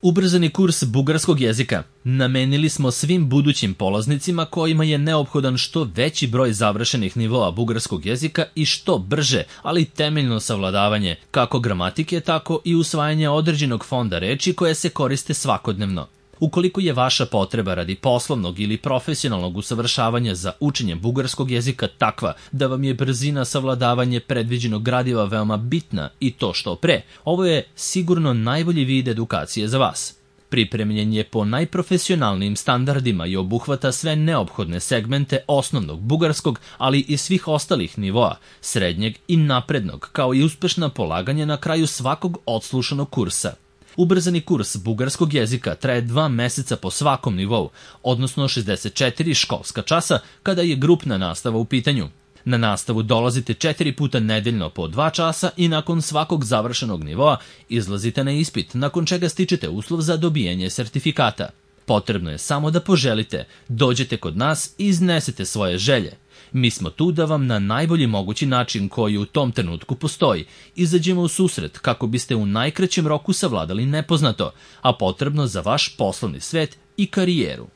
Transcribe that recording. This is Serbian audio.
Ubrzani kurs bugarskog jezika namenili smo svim budućim polaznicima kojima je neophodan što veći broj završenih nivoa bugarskog jezika i što brže, ali temeljno savladavanje kako gramatike, tako i usvajanje određenog fonda reči koje se koriste svakodnevno. Ukoliko je vaša potreba radi poslovnog ili profesionalnog usavršavanja za učenje bugarskog jezika takva da vam je brzina savladavanja predviđenog gradiva veoma bitna i to što pre, ovo je sigurno najbolji vid edukacije za vas. Pripremljen je po najprofesionalnijim standardima i obuhvata sve neophodne segmente osnovnog bugarskog, ali i svih ostalih nivoa, srednjeg i naprednog, kao i uspešna polaganja na kraju svakog odslušanog kursa. Ubrzani kurs bugarskog jezika traje 2 meseca po svakom nivou, odnosno 64 školska časa kada je grupna nastava u pitanju. Na nastavu dolazite 4 puta nedeljno po 2 časa i nakon svakog završenog nivoa izlazite na ispit, nakon čega stičete uslov za dobijanje sertifikata. Potrebno je samo da poželite, dođete kod nas i iznesete svoje želje. Mi smo tu da vam na najbolji mogući način koji u tom trenutku postoji izađemo u susret kako biste u najkraćem roku savladali nepoznato, a potrebno za vaš poslovni svet i karijeru.